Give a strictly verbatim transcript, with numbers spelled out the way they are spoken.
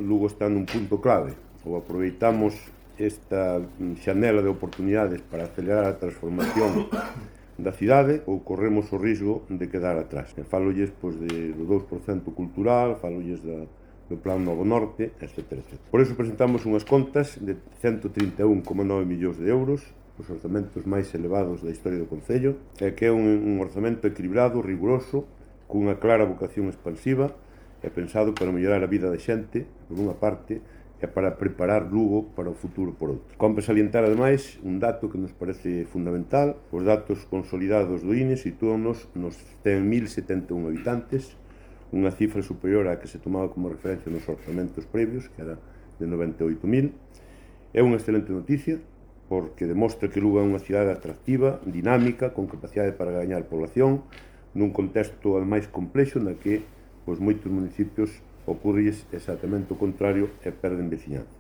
Lugo está nun punto clave. Ou aproveitamos esta xanela de oportunidades para acelerar a transformación da cidade ou corremos o risco de quedar atrás. Falolles pois, de, do dous por cento cultural, falolles da, do Plan Novo Norte, etcétera, etcétera. Por iso presentamos unhas contas de cento trinta e un coma nove millóns de euros, os orzamentos máis elevados da historia do Concello, e que é un, un orzamento equilibrado, riguroso, cunha clara vocación expansiva e pensado para mellorar a vida da xente, por unha parte, e para preparar Lugo para o futuro por outro. Compre salientar, ademais, un dato que nos parece fundamental. Os datos consolidados do I N E sitúanos nos cen mil setenta e un habitantes, unha cifra superior á que se tomaba como referencia nos orzamentos previos, que era de noventa e oito mil. É unha excelente noticia, porque demostra que Lugo é unha cidade atractiva, dinámica, con capacidade para gañar población, nun contexto máis complexo na que pois, moitos municipios ocurres exactamente o contrario e perden veciñanza.